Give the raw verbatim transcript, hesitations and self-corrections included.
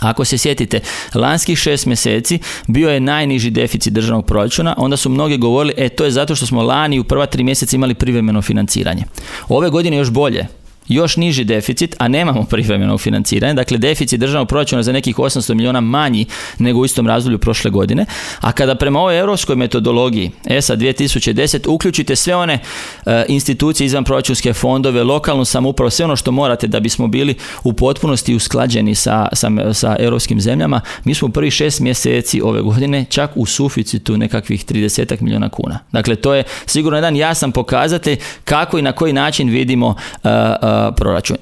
Ako se sjetite, lanskih šest mjeseci bio je najniži deficit državnog proračuna, onda su mnogi govorili, e to je zato što smo lani u prva tri mjeseca imali privremeno financiranje. Ove godine još bolje. Još niži deficit, a nemamo privremenog financiranja. Dakle, deficit državnog proračuna za nekih osamsto milijuna manji nego u istom razdoblju prošle godine. A kada prema ovoj europskoj metodologiji E S A dvije tisuće deset uključite sve one e, institucije izvan proračunske fondove, lokalnu samoupravu, sve ono što morate da bismo bili u potpunosti usklađeni sa, sa, sa europskim zemljama, mi smo u prvih šest mjeseci ove godine čak u suficitu nekakvih trideset milijuna kuna. Dakle, to je sigurno jedan jasan pokazatelj kako i na koji način vidimo uh, uh, proračun.